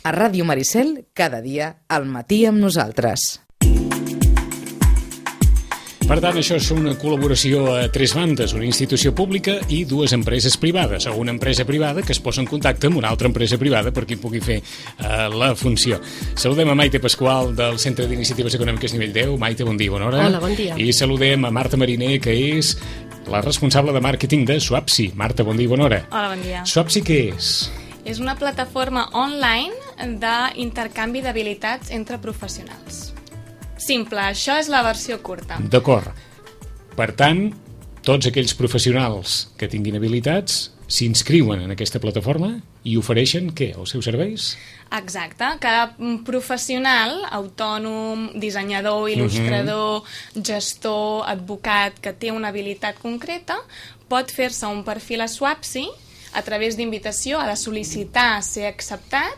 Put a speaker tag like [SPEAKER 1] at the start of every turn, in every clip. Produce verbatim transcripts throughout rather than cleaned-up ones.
[SPEAKER 1] A Ràdio Maricel, cada dia, al matí amb nosaltres.
[SPEAKER 2] Per tant, això és una col·laboració a tres bandes, una institució pública i dues empreses privades, o una empresa privada que es posa en contacte amb una altra empresa privada per qui pugui fer uh, la funció. Saludem a Maite Pasqual del Centre d'Iniciatives Econòmiques Nivell deu. Maite, bon dia, bona hora.
[SPEAKER 3] Hola, bon dia.
[SPEAKER 2] I saludem a Marta Mariner, que és la responsable de màrqueting de Swapsi. Marta, bon dia, bona hora.
[SPEAKER 4] Hola, bon dia.
[SPEAKER 2] Swapsi què és?
[SPEAKER 4] És una plataforma online d'intercanvi d'habilitats entre professionals. Simple, això és la versió curta.
[SPEAKER 2] D'acord. Per tant, tots aquells professionals que tinguin habilitats s'inscriuen en aquesta plataforma i ofereixen, què, els seus serveis?
[SPEAKER 4] Exacte. Cada professional, autònom, dissenyador, il·lustrador, uh-huh. gestor, advocat, que té una habilitat concreta, pot fer-se un perfil a Swapsi a través d'invitació, ha de sol·licitar ser acceptat.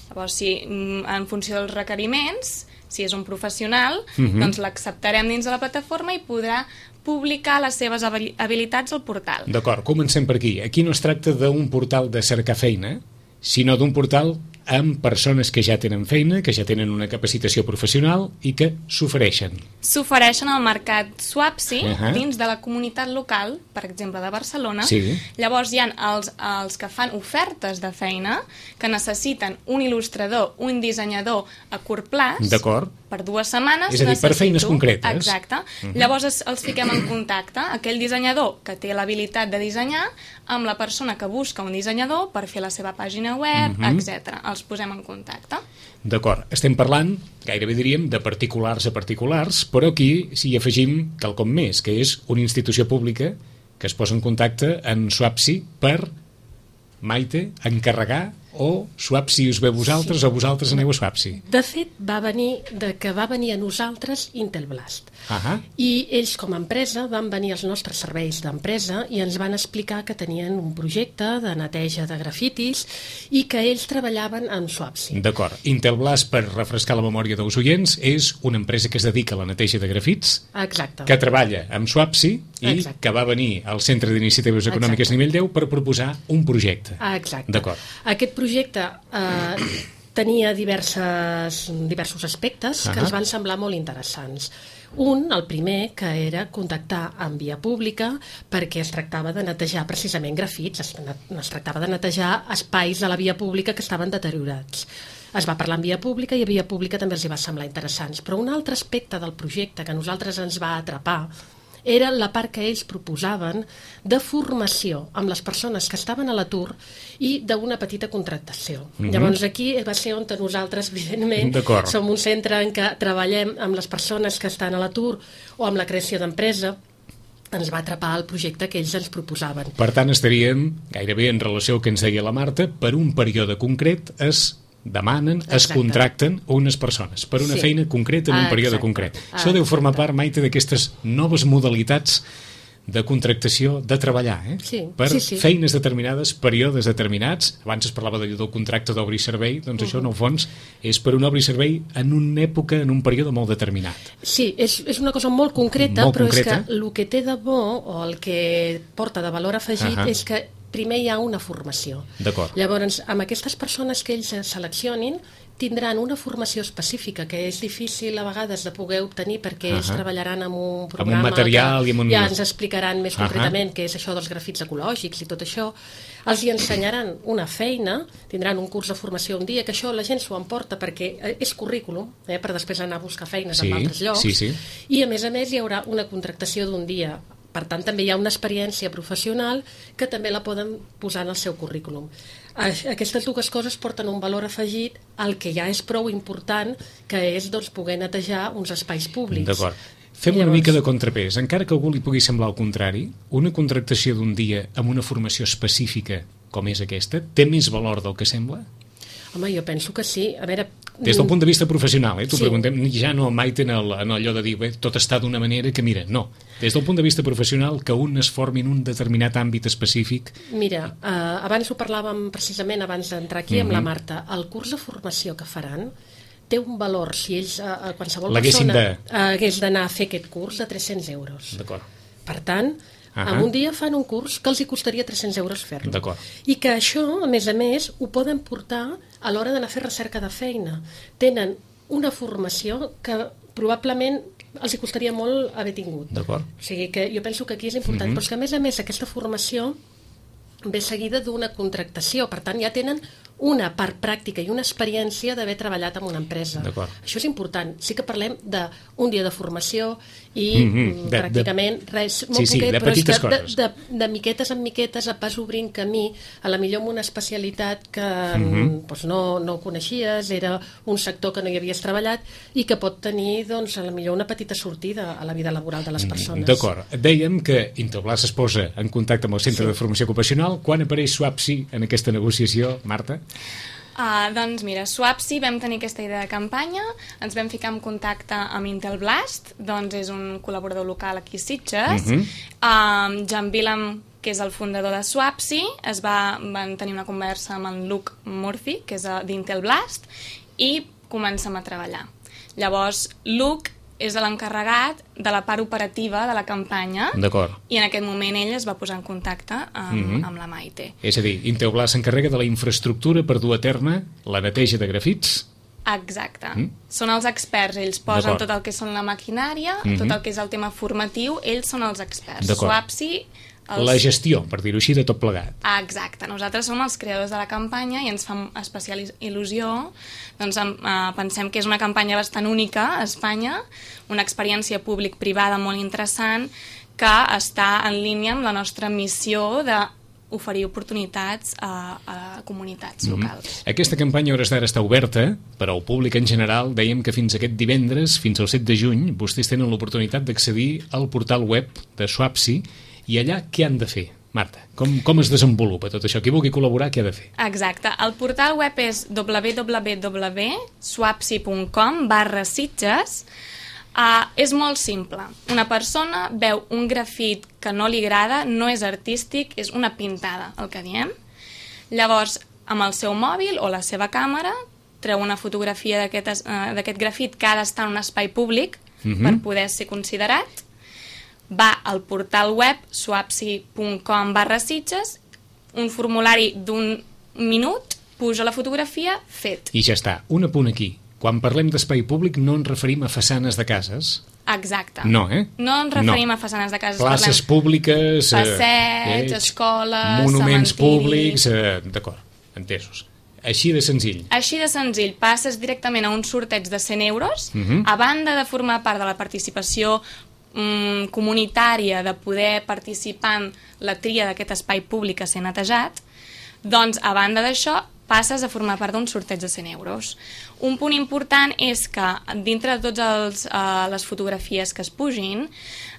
[SPEAKER 4] Llavors, si, en funció dels requeriments, si és un professional, uh-huh. doncs l'acceptarem dins de la plataforma i podrà publicar les seves habilitats al portal.
[SPEAKER 2] D'acord, comencem per aquí. Aquí no es tracta d'un portal de cercar feina, sinó d'un portal amb persones que ja tenen feina, que ja tenen una capacitació professional i que s'ofereixen.
[SPEAKER 4] S'ofereixen al mercat Swapsi,
[SPEAKER 2] uh-huh.
[SPEAKER 4] dins de la comunitat local, per exemple, de Barcelona.
[SPEAKER 2] Sí.
[SPEAKER 4] Llavors hi ha els, els que fan ofertes de feina, que necessiten un il·lustrador, un dissenyador a curt plaç.
[SPEAKER 2] D'acord.
[SPEAKER 4] Per dues setmanes.
[SPEAKER 2] És a dir, per feines concretes.
[SPEAKER 4] Exacte. Uh-huh. Llavors es, els fiquem en contacte, aquell dissenyador que té l'habilitat de dissenyar, amb la persona que busca un dissenyador per fer la seva pàgina web, uh-huh. etcètera. Els posem en contacte.
[SPEAKER 2] D'acord. Estem parlant, gairebé diríem, de particulars a particulars, però aquí s'hi afegim quelcom més, que és una institució pública que es posa en contacte en Swapsi per, Maite, encarregar o Swapsi us ve a vosaltres sí. o vosaltres aneu a Swapsi?
[SPEAKER 3] De fet, va venir de que va venir a nosaltres Intelblast.
[SPEAKER 2] Uh-huh.
[SPEAKER 3] I ells, com a empresa, van venir als nostres serveis d'empresa i ens van explicar que tenien un projecte de neteja de grafitis i que ells treballaven amb Swapsi.
[SPEAKER 2] D'acord. Intelblast, per refrescar la memòria dels oients, és una empresa que es dedica a la neteja de grafits,
[SPEAKER 3] exacte.
[SPEAKER 2] Que treballa amb Swapsi i
[SPEAKER 3] exacte.
[SPEAKER 2] Que va venir al Centre d'Iniciatives Econòmiques Nivell deu per proposar un projecte.
[SPEAKER 3] Exacte.
[SPEAKER 2] D'acord.
[SPEAKER 3] Aquest projecte eh, tenia diverses, diversos aspectes uh-huh. que ens van semblar molt interessants. Un, el primer, que era contactar en via pública perquè es tractava de netejar precisament grafits, es, es tractava de netejar espais de la via pública que estaven deteriorats. Es va parlar en via pública i a via pública també els hi va semblar interessants. Però un altre aspecte del projecte que a nosaltres ens va atrapar era la part que ells proposaven de formació amb les persones que estaven a l'atur i d'una petita contractació. Mm-hmm. Llavors aquí va ser on nosaltres, evidentment,
[SPEAKER 2] D'acord.
[SPEAKER 3] som un centre en què treballem amb les persones que estan a l'atur o amb la creació d'empresa. Ens va atrapar el projecte que ells ens proposaven.
[SPEAKER 2] Per tant, estaríem gairebé en relació al que ens deia la Marta, per un període concret es demanen, Exacte. Es contracten unes persones per una sí. feina concreta en un ah, període exacte. Concret. Ah, Això deu formar part, Maite, d'aquestes noves modalitats de contractació, de treballar, eh?
[SPEAKER 3] Sí.
[SPEAKER 2] Per
[SPEAKER 3] sí, sí.
[SPEAKER 2] feines determinades, períodes determinats. Abans es parlava del contracte d'obra i servei, doncs uh-huh. això, en el fons, és per un obra i servei en una època, en un període molt determinat.
[SPEAKER 3] Sí, és, és una cosa molt concreta,
[SPEAKER 2] molt
[SPEAKER 3] però
[SPEAKER 2] concreta.
[SPEAKER 3] És que el que té de bo, o el que porta de valor afegit, uh-huh. és que primer hi ha una formació.
[SPEAKER 2] D'acord.
[SPEAKER 3] Llavors, amb aquestes persones que ells seleccionin, tindran una formació específica que és difícil a vegades de poder obtenir perquè ells uh-huh. treballaran amb un programa
[SPEAKER 2] amb un material
[SPEAKER 3] que
[SPEAKER 2] i amb un...
[SPEAKER 3] ja ens explicaran més
[SPEAKER 2] uh-huh.
[SPEAKER 3] concretament què és això dels grafits ecològics i tot això. Els hi ensenyaran una feina, tindran un curs de formació un dia, que això la gent s'ho emporta perquè és currículum, eh, per després anar a buscar feines
[SPEAKER 2] sí,
[SPEAKER 3] en altres llocs,
[SPEAKER 2] sí, sí.
[SPEAKER 3] i a més a més hi haurà una contractació d'un dia. Per tant, també hi ha una experiència professional que també la poden posar en el seu currículum. Aquestes dues coses porten un valor afegit al que ja és prou important, que és doncs, poder netejar uns espais públics.
[SPEAKER 2] D'acord. Fem Llavors... una mica de contrapès. Encara que a algú li pugui semblar el contrari, una contractació d'un dia amb una formació específica com és aquesta té més valor del que sembla?
[SPEAKER 3] Home, jo penso que sí. A veure...
[SPEAKER 2] Des del punt de vista professional, eh? T'ho
[SPEAKER 3] sí.
[SPEAKER 2] preguntem, ja no, Maite, en, el, en allò de dir bé, tot està d'una manera que, mira, no. Des del punt de vista professional, que un es formi en un determinat àmbit específic...
[SPEAKER 3] Mira, eh, abans ho parlàvem precisament, abans d'entrar aquí, mm-hmm. amb la Marta. El curs de formació que faran té un valor, si ells, eh, qualsevol persona de... hagués d'anar a fer aquest curs, de tres-cents euros.
[SPEAKER 2] D'acord.
[SPEAKER 3] Per tant, -huh. En un dia fan un curs que els hi costaria tres-cents euros fer-lo.
[SPEAKER 2] D'acord.
[SPEAKER 3] I que això, a més a més, ho poden portar a l'hora d'anar a fer recerca de feina. Tenen una formació que probablement els hi costaria molt haver tingut.
[SPEAKER 2] D'acord.
[SPEAKER 3] O sigui que jo penso que aquí és important,
[SPEAKER 2] Mm-hmm.
[SPEAKER 3] però és que a més a més aquesta formació ve seguida d'una contractació, per tant ja tenen una part pràctica i una experiència d'haver treballat en una empresa.
[SPEAKER 2] D'acord.
[SPEAKER 3] Això és important. Sí que parlem d'un dia de formació i
[SPEAKER 2] Mm-hmm. De-
[SPEAKER 3] pràcticament res, molt
[SPEAKER 2] Sí, sí,
[SPEAKER 3] poquet,
[SPEAKER 2] de
[SPEAKER 3] però és
[SPEAKER 2] petites
[SPEAKER 3] que de,
[SPEAKER 2] coses.
[SPEAKER 3] de, de miquetes en miquetes et vas obrint camí, a la millor amb una especialitat que
[SPEAKER 2] Mm-hmm.
[SPEAKER 3] doncs no, no coneixies, era un sector que no hi havies treballat i que pot tenir doncs, a la millor una petita sortida a la vida laboral de les persones.
[SPEAKER 2] D'acord. Dèiem que Intelblas es posa en contacte amb el Centre
[SPEAKER 3] Sí.
[SPEAKER 2] de Formació Ocupacional. Quan apareix Swapsi en aquesta negociació, Marta?
[SPEAKER 4] Uh, doncs mira, Swapsi vam tenir aquesta idea de campanya, ens vam ficar en contacte amb Intelblast, doncs és un col·laborador local aquí a Sitges.
[SPEAKER 2] Mhm.
[SPEAKER 4] uh, Jan Villam, que és el fundador de Swapsi, es va, van tenir una conversa amb en Luke Murphy, que és uh, d'Intelblast, i comencem a treballar. Llavors, Luke és l'encarregat de la part operativa de la campanya.
[SPEAKER 2] D'acord.
[SPEAKER 4] I en aquest moment ell es va posar en contacte amb,
[SPEAKER 2] Mhm.
[SPEAKER 4] amb la Maite.
[SPEAKER 2] És a dir, Intelblas s'encarrega de la infraestructura per dur a terme la neteja de grafits.
[SPEAKER 4] Exacte.
[SPEAKER 2] Mm.
[SPEAKER 4] Són els experts, ells posen
[SPEAKER 2] D'acord.
[SPEAKER 4] tot el que són la maquinària,
[SPEAKER 2] Mhm.
[SPEAKER 4] tot el que és el tema formatiu, ells són els experts.
[SPEAKER 2] D'acord.
[SPEAKER 4] Swapsi... Els...
[SPEAKER 2] La gestió, per dir-ho així, de tot plegat.
[SPEAKER 4] Ah, exacte. Nosaltres som els creadors de la campanya i ens fa especial il·lusió. Doncs eh, pensem que és una campanya bastant única a Espanya, una experiència públic-privada molt interessant que està en línia amb la nostra missió de oferir oportunitats a, a comunitats locals.
[SPEAKER 2] Aquesta campanya a hores d'ara està oberta per al públic en general. Dèiem que fins aquest divendres, fins al set de juny, vostès tenen l'oportunitat d'accedir al portal web de Swapsi. I allà què han de fer, Marta? Com, com es desenvolupa tot això? Qui vulgui col·laborar, què ha de fer?
[SPEAKER 4] Exacte. El portal web és w w w punt swapsi punt com barra Sitges. Uh, és molt simple. Una persona veu un grafit que no li agrada, no és artístic, és una pintada, el que diem. Llavors, amb el seu mòbil o la seva càmera, treu una fotografia d'aquest uh, d'aquest grafit que ha d'estar en un espai públic
[SPEAKER 2] Mhm.
[SPEAKER 4] per poder ser considerat. Va al portal web swapsi punt com barra Sitges, un formulari d'un minut, puja la fotografia, fet.
[SPEAKER 2] I ja està. Un apunt aquí. Quan parlem d'espai públic no ens referim a façanes de cases.
[SPEAKER 4] Exacte.
[SPEAKER 2] No, eh?
[SPEAKER 4] No ens referim
[SPEAKER 2] No.
[SPEAKER 4] a façanes de cases.
[SPEAKER 2] Places
[SPEAKER 4] parlem
[SPEAKER 2] públiques... eh,
[SPEAKER 4] Passeigs,
[SPEAKER 2] eh,
[SPEAKER 4] escoles,
[SPEAKER 2] monuments
[SPEAKER 4] cementiris.
[SPEAKER 2] públics... Eh, D'acord, entesos. Així de senzill.
[SPEAKER 4] Així de senzill, passes directament a un sorteig de cent euros,
[SPEAKER 2] Mhm.
[SPEAKER 4] a banda de formar part de la participació mm, comunitària, de poder participar en la tria d'aquest espai públic a ser netejat, doncs, a banda d'això, passes a formar part d'un sorteig de cent euros. Un punt important és que, dintre de totes uh, les fotografies que es pugin,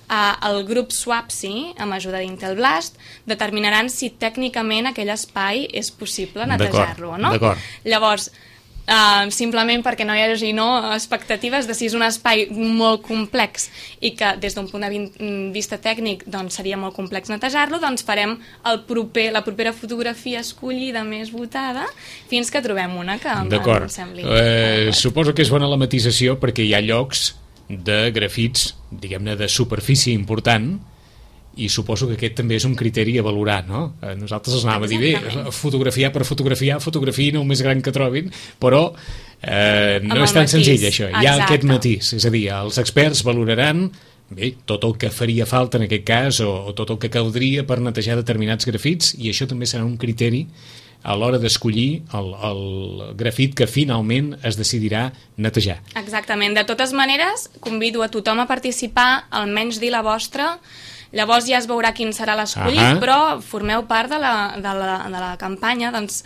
[SPEAKER 4] uh, el grup Swapsi, amb ajuda d'Intelblast, determinaran si tècnicament aquell espai és possible netejar-lo o no.
[SPEAKER 2] D'acord.
[SPEAKER 4] Llavors, Uh, simplement perquè no hi hagi no, expectatives de si és un espai molt complex i que des d'un punt de vi- vista tècnic doncs, seria molt complex netejar-lo, doncs farem el proper, la propera fotografia escollida més votada fins que trobem una que
[SPEAKER 2] D'acord.
[SPEAKER 4] ens sembli.
[SPEAKER 2] Eh, suposo que és bona la matisació perquè hi ha llocs de grafits, diguem-ne, de superfície important, i suposo que aquest també és un criteri a valorar, no? Eh, Nosaltres els anàvem a dir, bé,
[SPEAKER 4] Exactament.
[SPEAKER 2] fotografiar per fotografiar, fotografiïn el més gran que trobin, però eh, no
[SPEAKER 4] Amb
[SPEAKER 2] és
[SPEAKER 4] el
[SPEAKER 2] tan
[SPEAKER 4] matís.
[SPEAKER 2] senzill això, hi ha
[SPEAKER 4] Exacte.
[SPEAKER 2] aquest matís, és a dir, els experts valoraran bé, tot el que faria falta en aquest cas o, o tot el que caldria per netejar determinats grafits, i això també serà un criteri a l'hora d'escollir el, el grafit que finalment es decidirà netejar.
[SPEAKER 4] Exactament. De totes maneres, convido a tothom a participar, almenys dir la vostra. Llavors ja es veurà quin serà l'escollit,
[SPEAKER 2] Ahà.
[SPEAKER 4] però formeu part de la, de, la, de la campanya, doncs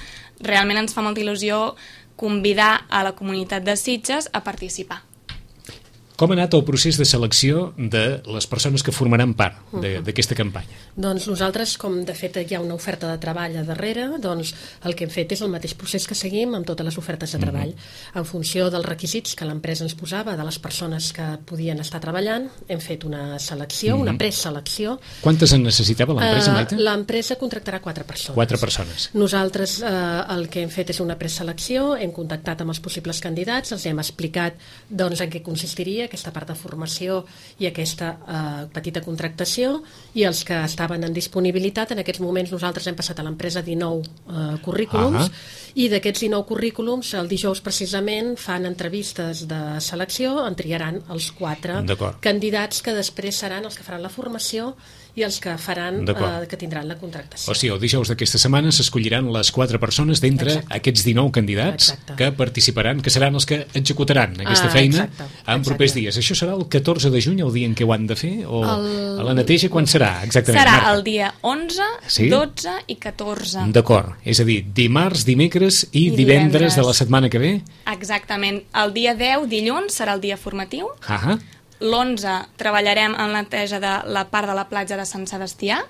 [SPEAKER 4] realment ens fa molta il·lusió convidar a la comunitat de Sitges a participar.
[SPEAKER 2] Com ha anat el procés de selecció de les persones que formaran part de- d'aquesta campanya?
[SPEAKER 3] Doncs nosaltres, com de fet hi ha una oferta de treball a darrere, doncs el que hem fet és el mateix procés que seguim amb totes les ofertes de treball. En funció dels requisits que l'empresa ens posava, de les persones que podien estar treballant, hem fet una selecció, una preselecció.
[SPEAKER 2] Quantes en necessitava l'empresa,
[SPEAKER 3] Eh,
[SPEAKER 2] Maite?
[SPEAKER 3] L'empresa contractarà quatre persones.
[SPEAKER 2] Quatre persones.
[SPEAKER 3] Nosaltres eh, el que hem fet és una preselecció, hem contactat amb els possibles candidats, els hem explicat doncs, en què consistiria aquesta part de formació i aquesta eh, petita contractació, i els que estaven en disponibilitat, en aquests moments nosaltres hem passat a l'empresa dinou eh, currículums, uh -huh. i d'aquests dinou currículums el dijous precisament fan entrevistes de selecció, en triaran els quatre candidats que després seran els que faran la formació i els que faran eh, que tindran la contractació.
[SPEAKER 2] O sigui, el dijous d'aquesta setmana s'escolliran les quatre persones d'entre
[SPEAKER 3] exacte.
[SPEAKER 2] Aquests dinou candidats
[SPEAKER 3] exacte. Que
[SPEAKER 2] participaran, que seran els que executaran aquesta ah, feina exacte. En exacte. Propers dies. Això serà el catorze de juny, el dia en què ho han de fer? O el... a la neteja quan serà? Exactament,
[SPEAKER 4] serà
[SPEAKER 2] Marta.
[SPEAKER 4] El dia onze, sí? dotze i catorze.
[SPEAKER 2] D'acord, és a dir, dimarts, dimecres i, I divendres, divendres de la setmana que ve?
[SPEAKER 4] Exactament. El dia deu, dilluns, serà el dia formatiu.
[SPEAKER 2] Ahà.
[SPEAKER 4] L'onze treballarem en la neteja de la part de la platja de Sant Sebastià.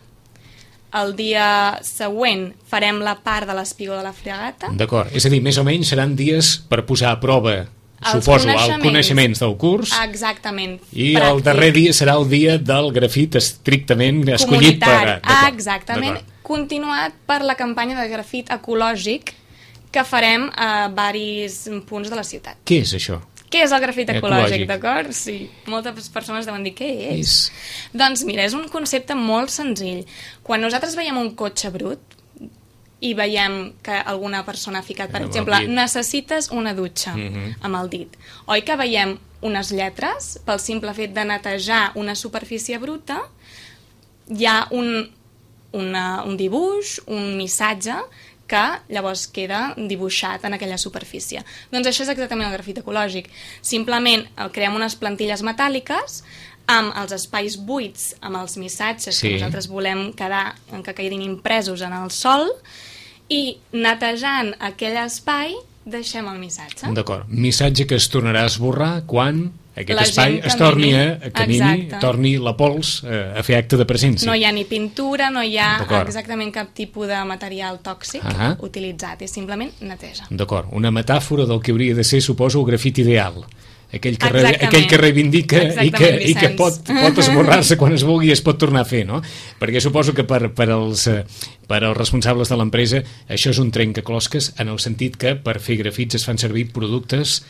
[SPEAKER 4] El dia següent farem la part de l'espigó de la Fregata.
[SPEAKER 2] D'acord, és a dir, més o menys seran dies per posar a prova, els suposo, coneixements. els coneixements del curs.
[SPEAKER 4] Exactament.
[SPEAKER 2] I pràctic. El darrer dia serà el dia del grafit estrictament escollit per...
[SPEAKER 4] Ah, exactament. Continuat per la campanya de grafit ecològic que farem a varis punts de la ciutat.
[SPEAKER 2] Què és això?
[SPEAKER 4] Què és el grafit ecològic, d'acord? Sí, moltes persones deuen dir, què és? és? Doncs mira, és un concepte molt senzill. Quan nosaltres veiem un cotxe brut i veiem que alguna persona ha ficat, per amb exemple, necessites una dutxa, uh-huh. amb el dit, oi que veiem unes lletres, pel simple fet de netejar una superfície bruta, hi ha un, una, un dibuix, un missatge, que llavors queda dibuixat en aquella superfície. Doncs això és exactament el grafit ecològic. Simplement creem unes plantilles metàl·liques amb els espais buits, amb els missatges sí. que nosaltres volem quedar, que quedin impresos en el sòl, i netejant aquell espai deixem el missatge.
[SPEAKER 2] D'acord. Missatge que es tornarà a esborrar quan aquest la espai es torni a, a camini, torni la pols eh, a fer acte de presència.
[SPEAKER 4] No hi ha ni pintura, no hi ha exactament cap tipus de material tòxic uh-huh. utilitzat, és simplement neteja.
[SPEAKER 2] D'acord, una metàfora del que hauria de ser, suposo, el grafit ideal. Aquell que, re, aquell que reivindica i que, i que pot, pot esborrar-se quan es vulgui i es pot tornar a fer, no? Perquè suposo que per, per, als, per als responsables de l'empresa això és un trencaclosques en el sentit que per fer grafits es fan servir productes,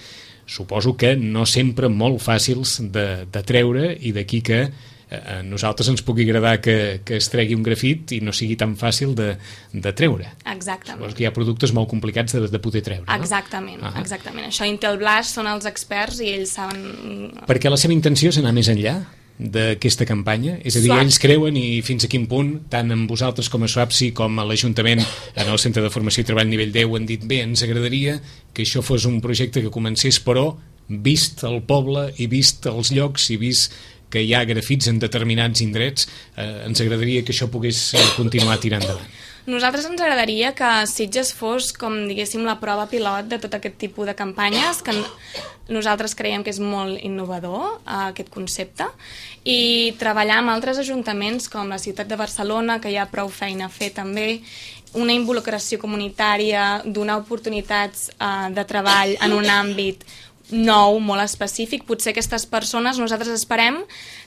[SPEAKER 2] suposo que no sempre molt fàcils de, de treure, i d'aquí que a nosaltres ens pugui agradar que, que es tregui un grafit i no sigui tan fàcil de, de treure.
[SPEAKER 4] Exactament.
[SPEAKER 2] Suposo que hi ha productes molt complicats de, de poder treure, no?
[SPEAKER 4] Exactament, ah. exactament. Això Intel Blast són els experts i ells saben...
[SPEAKER 2] Perquè la seva intenció és anar més enllà d'aquesta campanya? És a dir, Swap. Ells creuen, i fins a quin punt, tant amb vosaltres com a Swapsi com a l'Ajuntament, en el Centre de Formació i Treball Nivell deu, han dit, bé, ens agradaria que això fos un projecte que comencés, però vist el poble i vist els llocs i vist que hi ha grafits en determinats indrets, eh, ens agradaria que això pogués continuar tirant endavant.
[SPEAKER 4] Nosaltres ens agradaria que Sitges fos, com diguéssim, la prova pilot de tot aquest tipus de campanyes, que nosaltres creiem que és molt innovador, eh, aquest concepte, i treballar amb altres ajuntaments com la ciutat de Barcelona, que hi ha prou feina a fer també, una involucració comunitària, donar oportunitats eh, de treball en un àmbit nou, molt específic. Potser aquestes persones, nosaltres esperem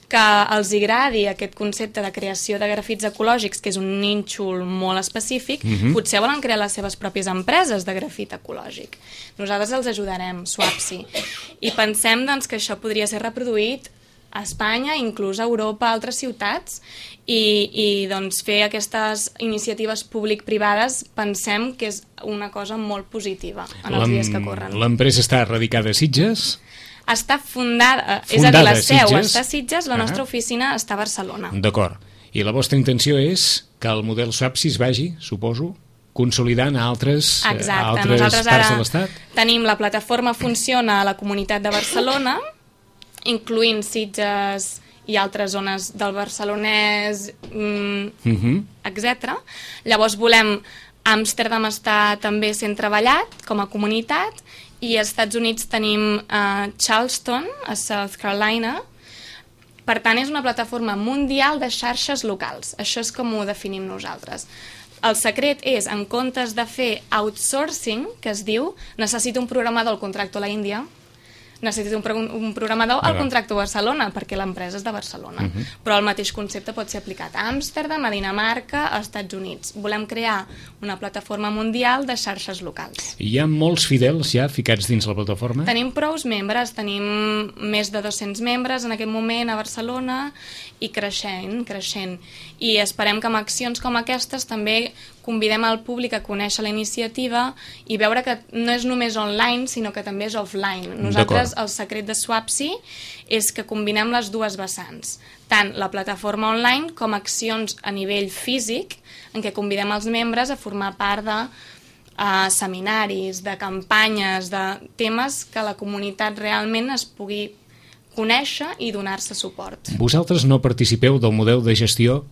[SPEAKER 4] que els agradi aquest concepte de creació de grafits ecològics, que és un nínxol molt específic, uh-huh. potser volen crear les seves pròpies empreses de grafit ecològic. Nosaltres els ajudarem, Swapsi. I pensem doncs, que això podria ser reproduït a Espanya, inclús a Europa, a altres ciutats, i, i doncs, fer aquestes iniciatives públic-privades pensem que és una cosa molt positiva en els dies que corren.
[SPEAKER 2] L'empresa està radicada a Sitges?
[SPEAKER 4] Està fundada, fundada és a dir, la seu està a Sitges, la nostra ah. oficina està a Barcelona.
[SPEAKER 2] D'acord. I la vostra intenció és que el model Swapsi es vagi, suposo, consolidant a altres,
[SPEAKER 4] Exacte.
[SPEAKER 2] a altres
[SPEAKER 4] Nosaltres
[SPEAKER 2] parts de l'Estat?
[SPEAKER 4] Tenim la plataforma funciona a la comunitat de Barcelona, incloent Sitges i altres zones del barcelonès, mm, uh-huh. etcètera. Llavors volem... Amsterdam està també sent treballat com a comunitat, i als Estats Units tenim uh, Charleston, a South Carolina. Per tant, és una plataforma mundial de xarxes locals. Això és com ho definim nosaltres. El secret és, en comptes de fer outsourcing, que es diu, necessito un programador al contracto a la Índia, necessito un, pro un programador, el contracto a Barcelona, perquè l'empresa és de Barcelona. Uh -huh. Però el mateix concepte pot ser aplicat a Amsterdam, a Dinamarca, als Estats Units. Volem crear una plataforma mundial de xarxes locals.
[SPEAKER 2] Hi ha molts fidels ja ficats dins la plataforma?
[SPEAKER 4] Tenim prous membres, tenim més de dos-cents membres en aquest moment a Barcelona i creixent, creixent. I esperem que amb accions com aquestes també convidem al públic a conèixer la iniciativa i veure que no és només online, sinó que també és offline. Nosaltres, el secret de Swapsi és que combinem les dues vessants, tant la plataforma online com accions a nivell físic, en què convidem els membres a formar part de uh, seminaris, de campanyes, de temes que la comunitat realment es pugui conèixer i donar-se suport.
[SPEAKER 2] Vosaltres no participeu del model de gestió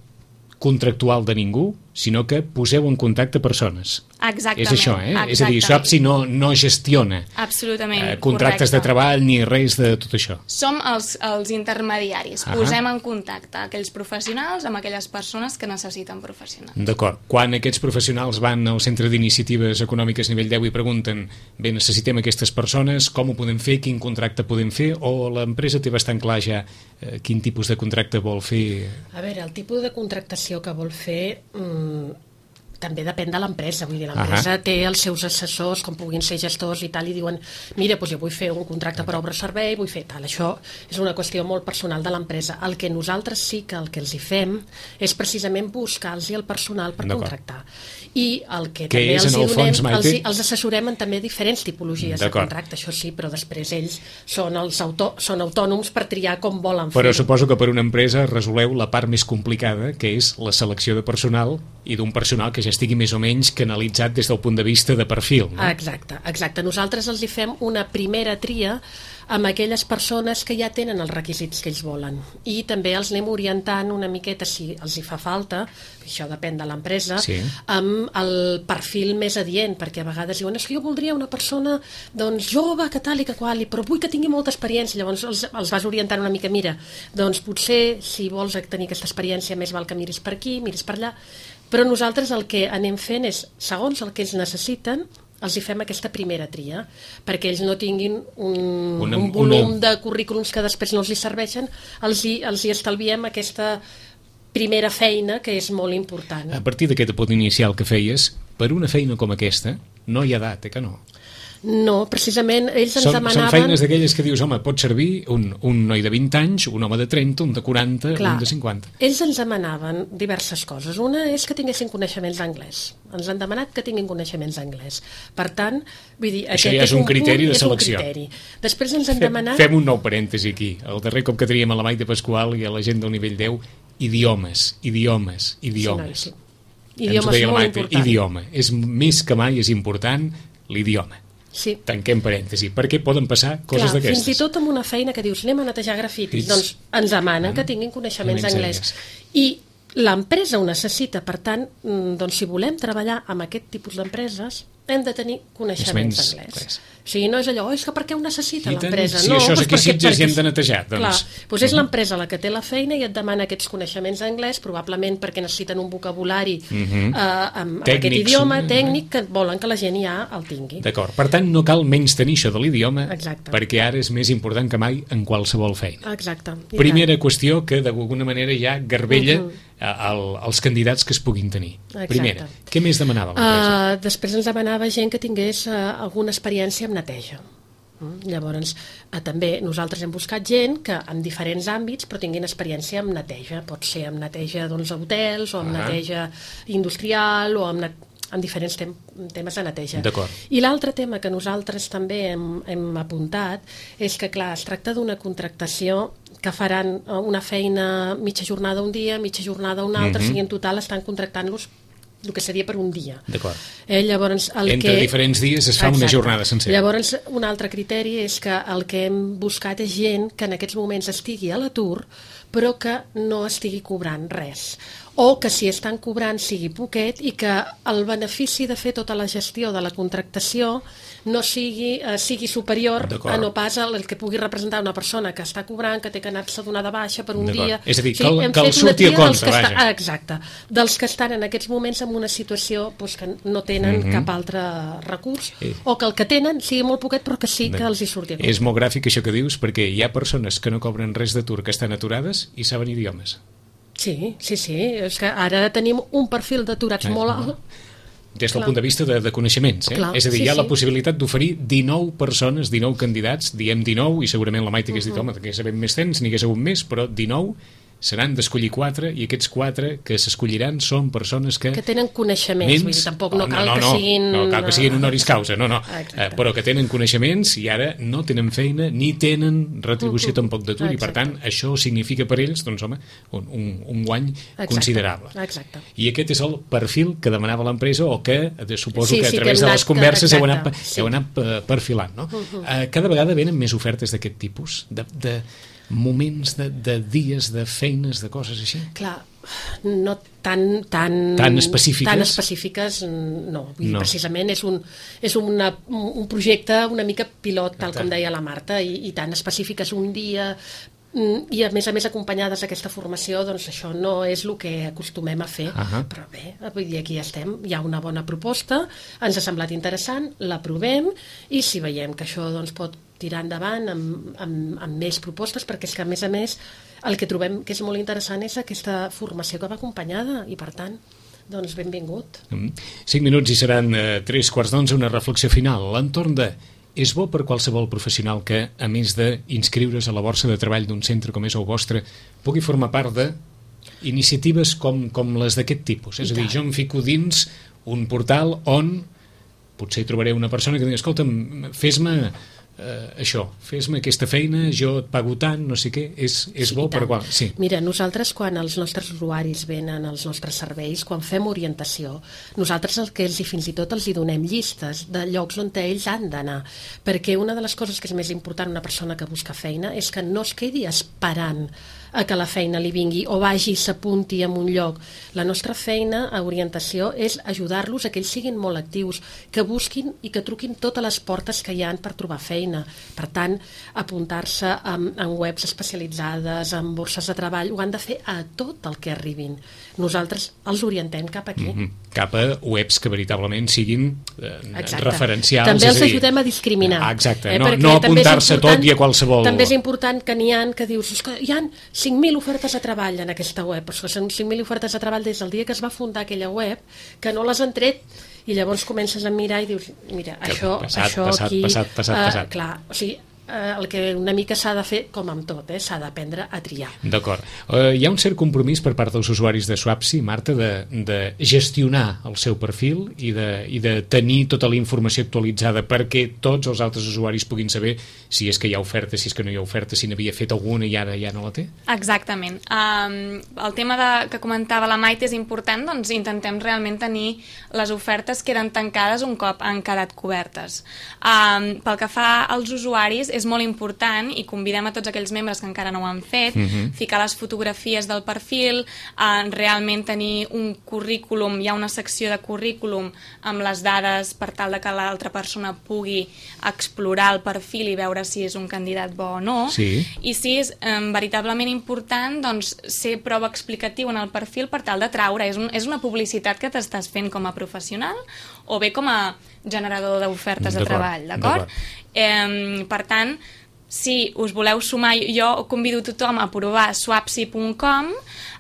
[SPEAKER 2] contractual de ningú, sinó que poseu en contacte persones.
[SPEAKER 4] Exactament.
[SPEAKER 2] És això, eh?
[SPEAKER 4] Exactament.
[SPEAKER 2] És a dir, Swapsi no, no gestiona
[SPEAKER 4] Absolutament,
[SPEAKER 2] eh, contractes
[SPEAKER 4] correcte.
[SPEAKER 2] de treball ni res de tot això.
[SPEAKER 4] Som els, els intermediaris.
[SPEAKER 2] Ah.
[SPEAKER 4] Posem en contacte aquells professionals amb aquelles persones que necessiten professionals.
[SPEAKER 2] D'acord. Quan aquests professionals van al Centre d'Iniciatives Econòmiques nivell deu i pregunten bé, necessitem aquestes persones, com ho podem fer, quin contracte podem fer, o l'empresa té bastant clar ja eh, quin tipus de contracte vol fer?
[SPEAKER 3] A veure, el tipus de contractació que vol fer mmm, també depèn de l'empresa. Vull dir, l'empresa té els seus assessors, com puguin ser gestors i tal, i diuen, mira, doncs jo vull fer un contracte per obra-servei, vull fer tal. Això és una qüestió molt personal de l'empresa. El que nosaltres sí que el que els hi fem és precisament buscar-los el personal per contractar. I el que, que també els, hi donem, fons, els, els assessorem en també diferents tipologies de contracte, això sí, però després ells són, els autò, són autònoms per triar com volen fer.
[SPEAKER 2] Però suposo que per una empresa resoleu la part més complicada, que és la selecció de personal, i d'un personal que ja estigui més o menys canalitzat des del punt de vista de perfil. No?
[SPEAKER 3] Exacte, exacte. Nosaltres els hi fem una primera tria amb aquelles persones que ja tenen els requisits que ells volen, i també els anem orientant una miqueta, si els hi fa falta, això depèn de l'empresa, sí, amb el perfil més adient, perquè a vegades diuen, és que jo voldria una persona doncs, jove, que tal i que qual, però vull que tingui molta experiència. Llavors els, els vas orientant una mica, mira, doncs potser si vols tenir aquesta experiència més val que miris per aquí, miris per allà, però nosaltres el que anem fent és, segons el que ells necessiten, els hi fem aquesta primera tria, perquè ells no tinguin un, una, un volum una... de currículums que després no els hi serveixen, els hi, els hi estalviem aquesta primera feina, que és molt important.
[SPEAKER 2] A partir d'aquest punt inicial que feies, per una feina com aquesta, no hi ha edat, eh que no?
[SPEAKER 3] No, precisament ells ens
[SPEAKER 2] són,
[SPEAKER 3] demanaven...
[SPEAKER 2] Són feines d'aquelles que dius, home, pot servir un, un noi de vint anys, un home de trenta, un de quaranta,
[SPEAKER 3] Clar,
[SPEAKER 2] un de cinquanta.
[SPEAKER 3] Ells ens demanaven diverses coses. Una és que tinguessin coneixements d'anglès. Ens han demanat que tinguin coneixements d'anglès. Per tant, vull dir,
[SPEAKER 2] això
[SPEAKER 3] aquest
[SPEAKER 2] ja és un criteri de selecció.
[SPEAKER 3] Criteri. Després ens han
[SPEAKER 2] fem,
[SPEAKER 3] demanat...
[SPEAKER 2] Fem un nou parèntesi aquí. El darrer cop que teníem a la Maite Pasqual i a la gent del nivell deu, idiomes, idiomes, idiomes.
[SPEAKER 3] Sí, no, sí. Idiomes molt Maite, important.
[SPEAKER 2] Idioma. És més que mai és important l'idioma.
[SPEAKER 3] Sí.
[SPEAKER 2] Tanquem parèntesi, perquè poden passar coses d'aquestes.
[SPEAKER 3] Fins i tot amb una feina que dius anem a netejar grafitis, doncs ens demanen que tinguin coneixements d'anglès. I l'empresa ho necessita, per tant, doncs si volem treballar amb aquest tipus d'empreses hem de tenir coneixements d'anglès. O sigui, no és allò, oh, és que per què ho necessita l'empresa?
[SPEAKER 2] Si
[SPEAKER 3] no,
[SPEAKER 2] això és
[SPEAKER 3] doncs
[SPEAKER 2] aquí
[SPEAKER 3] perquè,
[SPEAKER 2] Sitges i hem de netejar. Doncs...
[SPEAKER 3] Clar, doncs és l'empresa la que té la feina i et demana aquests coneixements d'anglès, probablement perquè necessiten un vocabulari uh -huh. eh, amb, amb aquest idioma tècnic que volen que la gent ja el tingui.
[SPEAKER 2] D'acord, per tant no cal menys tenir això de l'idioma, perquè ara és més important que mai en qualsevol feina.
[SPEAKER 3] Exacte.
[SPEAKER 2] Primera qüestió que d'alguna manera ja garbella uh -huh. El, els candidats que es puguin tenir. Exacte. Primera, què més demanava l'empresa?
[SPEAKER 3] Uh, després ens demanava gent que tingués uh, alguna experiència en neteja. Mm? Llavors, uh, també nosaltres hem buscat gent que en diferents àmbits però tinguin experiència en neteja. Pot ser en neteja doncs, hotels o en uh -huh. neteja industrial o en, en diferents tem temes de neteja. I l'altre tema que nosaltres també hem, hem apuntat és que, clar, es tracta d'una contractació que faran una feina mitja jornada un dia, mitja jornada un altre, uh -huh. o sigui, en total estan contractant-los el que seria per un dia.
[SPEAKER 2] D'acord.
[SPEAKER 3] Eh, llavors, el
[SPEAKER 2] Entre
[SPEAKER 3] que...
[SPEAKER 2] diferents dies es fa Exacte. Una jornada sencera.
[SPEAKER 3] Llavors, un altre criteri és que el que hem buscat és gent que en aquests moments estigui a l'atur, però que no estigui cobrant res. O que si estan cobrant sigui poquet i que el benefici de fer tota la gestió de la contractació no sigui, eh, sigui superior
[SPEAKER 2] D'acord.
[SPEAKER 3] a no pas el que pugui representar una persona que està cobrant, que té que anar-se a donar de baixa per un
[SPEAKER 2] D'acord.
[SPEAKER 3] dia.
[SPEAKER 2] És a dir,
[SPEAKER 3] sí,
[SPEAKER 2] que el-
[SPEAKER 3] hem
[SPEAKER 2] que el
[SPEAKER 3] fet una
[SPEAKER 2] surti a
[SPEAKER 3] tria dels
[SPEAKER 2] compte,
[SPEAKER 3] que
[SPEAKER 2] vaja.
[SPEAKER 3] està- ah, exacte, dels que estan en aquests moments en una situació doncs, que no tenen
[SPEAKER 2] Mhm.
[SPEAKER 3] cap altre recurs,
[SPEAKER 2] Eh.
[SPEAKER 3] o que el que tenen sigui molt poquet però que sí que els hi surti a compte.
[SPEAKER 2] És molt gràfic això que dius, perquè hi ha persones que no cobren res d'atur, que estan aturades i saben idiomes.
[SPEAKER 3] Sí, sí, sí, és que ara tenim un perfil d'aturats
[SPEAKER 2] Eh,
[SPEAKER 3] molt
[SPEAKER 2] no.
[SPEAKER 3] alt.
[SPEAKER 2] Des del
[SPEAKER 3] Clar.
[SPEAKER 2] punt de vista de, de coneixements, eh?
[SPEAKER 3] Clar,
[SPEAKER 2] És a dir,
[SPEAKER 3] sí,
[SPEAKER 2] hi ha
[SPEAKER 3] sí.
[SPEAKER 2] la possibilitat d'oferir dinou persones, dinou candidats, diem dinou, i segurament la Maite hagués dit, home, que sabem més temps, n'hi hagués hagut més, però dinou seran d'escollir quatre, i aquests quatre que s'escolliran són persones que...
[SPEAKER 3] Que tenen coneixements,
[SPEAKER 2] Ments-
[SPEAKER 3] vull dir, tampoc no
[SPEAKER 2] Oh,
[SPEAKER 3] cal
[SPEAKER 2] no,
[SPEAKER 3] que
[SPEAKER 2] no,
[SPEAKER 3] siguin...
[SPEAKER 2] no cal que siguin honoris causa, no, no,
[SPEAKER 3] Exacte.
[SPEAKER 2] eh, però que tenen coneixements i ara no tenen feina ni tenen retribució
[SPEAKER 3] Uh, uh,
[SPEAKER 2] tampoc d'atur, i per
[SPEAKER 3] exacte.
[SPEAKER 2] tant això significa per ells, doncs home, un, un, un guany
[SPEAKER 3] Exacte,
[SPEAKER 2] considerable.
[SPEAKER 3] exacte.
[SPEAKER 2] I aquest és el perfil que demanava l'empresa, o que eh, suposo
[SPEAKER 3] Sí,
[SPEAKER 2] que a
[SPEAKER 3] sí, que
[SPEAKER 2] través
[SPEAKER 3] hem
[SPEAKER 2] de
[SPEAKER 3] anat-
[SPEAKER 2] les converses heu anat,
[SPEAKER 3] exacte, sí.
[SPEAKER 2] heu anat eh, perfilant, no? Eh, cada vegada venen més ofertes d'aquest tipus, de, de moments, de, de dies, de feines, de coses així?
[SPEAKER 3] Clar, no tan... Tan,
[SPEAKER 2] Tan específiques?
[SPEAKER 3] Tan específiques, no. Vull dir,
[SPEAKER 2] No.
[SPEAKER 3] precisament és, un, és una, un projecte una mica pilot, tal com deia la Marta, i, i tan específiques un dia, mm, i a més a més acompanyades d'aquesta formació, doncs això no és el que acostumem a fer.
[SPEAKER 2] Ahà.
[SPEAKER 3] Però bé, vull dir, aquí estem, hi ha una bona proposta, ens ha semblat interessant, l'aprovem, i si veiem que això doncs, pot tirar endavant amb, amb, amb més propostes, perquè és que a més a més el que trobem que és molt interessant és aquesta formació que va acompanyada, i per tant doncs benvingut.
[SPEAKER 2] Mm. Cinc minuts i seran eh, tres quarts d'onze, una reflexió final. L'entorn de... És bo per qualsevol professional que, a més d'inscriure's a la borsa de treball d'un centre com és el vostre, pugui formar part de iniciatives com, com les d'aquest tipus. És a dir, jo em fico dins un portal on potser trobaré una persona que digui, escolta'm, fes-me eh, això, fes-me aquesta feina, jo et pago tant, no sé què, és, és
[SPEAKER 3] Sí,
[SPEAKER 2] bo
[SPEAKER 3] i
[SPEAKER 2] per
[SPEAKER 3] tant.
[SPEAKER 2] qual... Sí.
[SPEAKER 3] Mira, nosaltres quan els nostres usuaris venen als nostres serveis, quan fem orientació, nosaltres el que els i fins i tot els hi donem llistes de llocs on ells han d'anar, perquè una de les coses que és més important una persona que busca feina és que no es quedi esperant a que la feina li vingui o vagi i s'apunti en un lloc. La nostra feina a orientació és ajudar-los a que ells siguin molt actius, que busquin i que truquin totes les portes que hi han per trobar feina. Per tant, apuntar-se en, en webs especialitzades, en borses de treball, ho han de fer a tot el que arribin. Nosaltres els orientem cap aquí.
[SPEAKER 2] Mm -hmm. Cap a webs que veritablement siguin eh,
[SPEAKER 3] Exacte.
[SPEAKER 2] referencials.
[SPEAKER 3] També
[SPEAKER 2] és
[SPEAKER 3] els
[SPEAKER 2] a dir,
[SPEAKER 3] ajudem a discriminar.
[SPEAKER 2] Ah, exacte,
[SPEAKER 3] eh,
[SPEAKER 2] no,
[SPEAKER 3] perquè
[SPEAKER 2] no
[SPEAKER 3] també és
[SPEAKER 2] apuntar-se
[SPEAKER 3] important-
[SPEAKER 2] tot i a qualsevol...
[SPEAKER 3] També és important que n'hi ha que dius, és que hi ha cinc mil ofertes de treball en aquesta web, però és que són cinc mil ofertes de treball des del dia que es va fundar aquella web, que no les han tret, i llavors comences a mirar i dius, mira,
[SPEAKER 2] Que
[SPEAKER 3] això,
[SPEAKER 2] passat,
[SPEAKER 3] això
[SPEAKER 2] passat,
[SPEAKER 3] aquí...
[SPEAKER 2] passat, passat,
[SPEAKER 3] eh,
[SPEAKER 2] passat.
[SPEAKER 3] Clar, o sigui, eh, el que una mica s'ha de fer, com amb tot, eh, s'ha d'aprendre a triar.
[SPEAKER 2] D'acord. Uh, hi ha un cert compromís per part dels usuaris de Swapsi, Marta, de, de gestionar el seu perfil i de, i de tenir tota la informació actualitzada perquè tots els altres usuaris puguin saber si és que hi ha oferta, si és que no hi ha oferta, si n'havia fet alguna i ara ja no la té?
[SPEAKER 4] Exactament. Um, el tema de, que comentava la Maite és important, doncs intentem realment tenir les ofertes que eren tancades un cop han quedat cobertes. Um, pel que fa als usuaris, és molt important, i convidem a tots aquells membres que encara no ho han fet,
[SPEAKER 2] Mhm.
[SPEAKER 4] ficar les fotografies del perfil, uh, realment tenir un currículum, hi ha una secció de currículum amb les dades per tal de que l'altra persona pugui explorar el perfil i veure si és un candidat bo o no.
[SPEAKER 2] Sí.
[SPEAKER 4] I sí, és eh, veritablement important doncs, ser prou explicatiu en el perfil per tal de traure. És, un, és una publicitat que t'estàs fent com a professional o bé com a generador d'ofertes de
[SPEAKER 2] D'acord,
[SPEAKER 4] treball, d'acord? Eh, per tant, si us voleu sumar, jo convido tothom a provar swapsi punt com,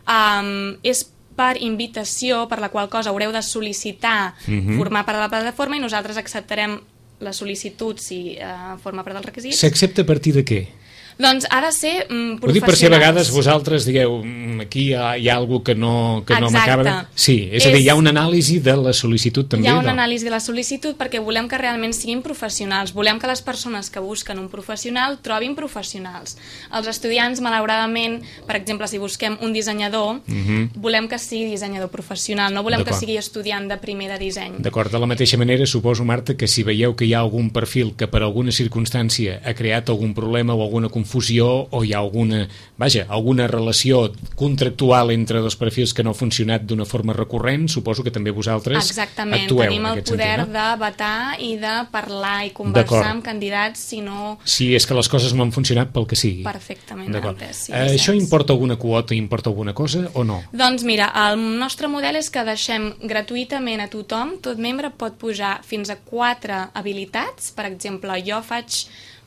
[SPEAKER 4] eh, és per invitació, per la qual cosa haureu de sol·licitar
[SPEAKER 2] Mhm.
[SPEAKER 4] formar part de la plataforma i nosaltres acceptarem la sol·licitud si eh, forma part dels requisits.
[SPEAKER 2] S'accepta a partir de què?
[SPEAKER 4] Doncs ha de ser mm,
[SPEAKER 2] Ho dic per si a
[SPEAKER 4] professionals.
[SPEAKER 2] vegades vosaltres digueu "Mm, aquí hi ha, hi ha alguna que no, que no
[SPEAKER 4] Exacte.
[SPEAKER 2] m'acaba... Sí, és, és a dir, hi ha una anàlisi de la sol·licitud també.
[SPEAKER 4] Hi ha una
[SPEAKER 2] no?
[SPEAKER 4] anàlisi de la sol·licitud perquè volem que realment siguin professionals. Volem que les persones que busquen un professional trobin professionals. Els estudiants, malauradament, per exemple, si busquem un dissenyador,
[SPEAKER 2] Mhm.
[SPEAKER 4] volem que sigui dissenyador professional, no volem que
[SPEAKER 2] D'acord.
[SPEAKER 4] sigui estudiant de primer de disseny.
[SPEAKER 2] D'acord, de la mateixa manera, suposo, Marta, que si veieu que hi ha algun perfil que per alguna circumstància ha creat algun problema o alguna alguna confusió o hi ha alguna, vaja, alguna relació contractual entre dos perfils que no ha funcionat d'una forma recurrent, suposo que també vosaltres
[SPEAKER 4] Exactament,
[SPEAKER 2] actueu
[SPEAKER 4] tenim
[SPEAKER 2] en
[SPEAKER 4] el
[SPEAKER 2] aquest
[SPEAKER 4] poder
[SPEAKER 2] sentit, no?
[SPEAKER 4] de vetar i de parlar i conversar amb candidats si no...
[SPEAKER 2] Si és que les coses no han funcionat pel que sigui.
[SPEAKER 4] Perfectament.
[SPEAKER 2] Entès, sí,
[SPEAKER 4] eh,
[SPEAKER 2] això importa alguna quota, importa alguna cosa o no?
[SPEAKER 4] Doncs mira, el nostre model és que deixem gratuïtament a tothom, tot membre pot pujar fins a quatre habilitats. Per exemple, jo faig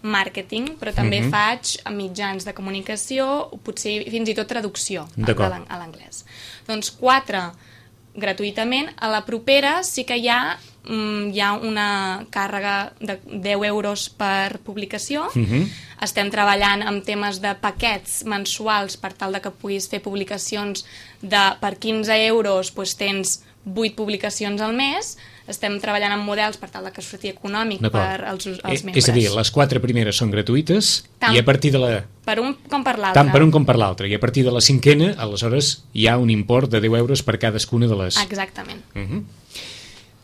[SPEAKER 4] màrqueting, però també uh-huh. faig mitjans de comunicació, potser fins i tot traducció a l'anglès. Doncs quatre gratuïtament. A la propera sí que hi ha, hi ha una càrrega de deu euros per publicació. Uh-huh. Estem treballant amb temes de paquets mensuals per tal de que puguis fer publicacions de, per quinze euros doncs tens vuit publicacions al mes. Estem treballant amb models per tal de que surti econòmic per als, als membres.
[SPEAKER 2] És a dir, les quatre primeres són gratuïtes tant i a partir de la...
[SPEAKER 4] Per un com per l'altre.
[SPEAKER 2] Tant per un com per l'altre. I a partir de la cinquena, aleshores, hi ha un import de deu euros per cadascuna de les...
[SPEAKER 4] Exactament.
[SPEAKER 2] Uh-huh.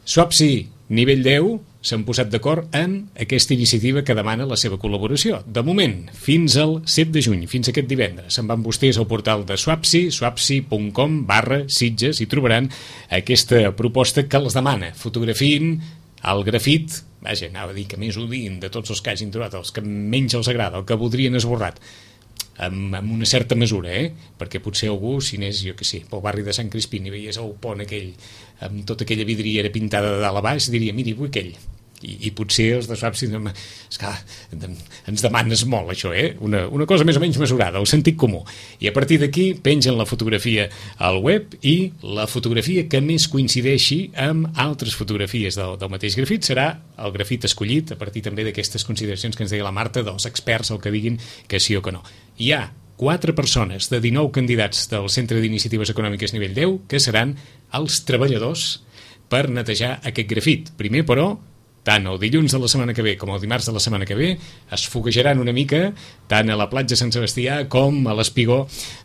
[SPEAKER 2] Swapsi, nivell deu, s'han posat d'acord en aquesta iniciativa que demana la seva col·laboració. De moment, fins al set de juny, fins aquest divendres, se'n van vostès al portal de Swapsi, swapsi punt com barra Sitges, i trobaran aquesta proposta que els demana. Fotografiïn el grafit, vaja, anava a dir que més odien de tots els que hagin trobat, els que menys els agrada, el que voldrien esborrat, amb, amb una certa mesura, eh? Perquè potser algú, si anés, jo que sé, pel barri de Sant Crispí i veies el pont aquell amb tota aquella vidriera pintada de dalt a baix, diria, miri, vull aquell. I, i potser els de Swapsi ens demanes molt això, eh? Una, una cosa més o menys mesurada, el sentit comú. I a partir d'aquí pengen la fotografia al web i la fotografia que més coincideixi amb altres fotografies del, del mateix grafit serà el grafit escollit a partir també d'aquestes consideracions que ens deia la Marta, dels experts, el que diguin que sí o que no. Hi ha quatre persones de dinou candidats del Centre d'Iniciatives Econòmiques nivell deu que seran els treballadors per netejar aquest grafit. Primer, però, tant el dilluns de la setmana que ve com el dimarts de la setmana que ve es foguejaran una mica tant a la platja Sant Sebastià com a l'espigó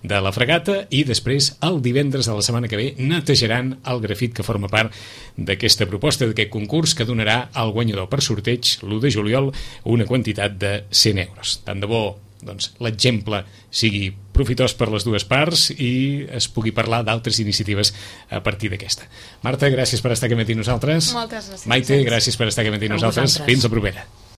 [SPEAKER 2] de la Fregata i després el divendres de la setmana que ve netejaran el grafit que forma part d'aquesta proposta, d'aquest concurs que donarà al guanyador per sorteig l'u de juliol una quantitat de cent euros. Tant de bo doncs, l'exemple sigui profitós per les dues parts i es pugui parlar d'altres iniciatives a partir d'aquesta. Marta, gràcies per estar aquí amb nosaltres.
[SPEAKER 4] Moltes gràcies.
[SPEAKER 2] Maite, gràcies per estar aquí amb nosaltres. Fins la propera.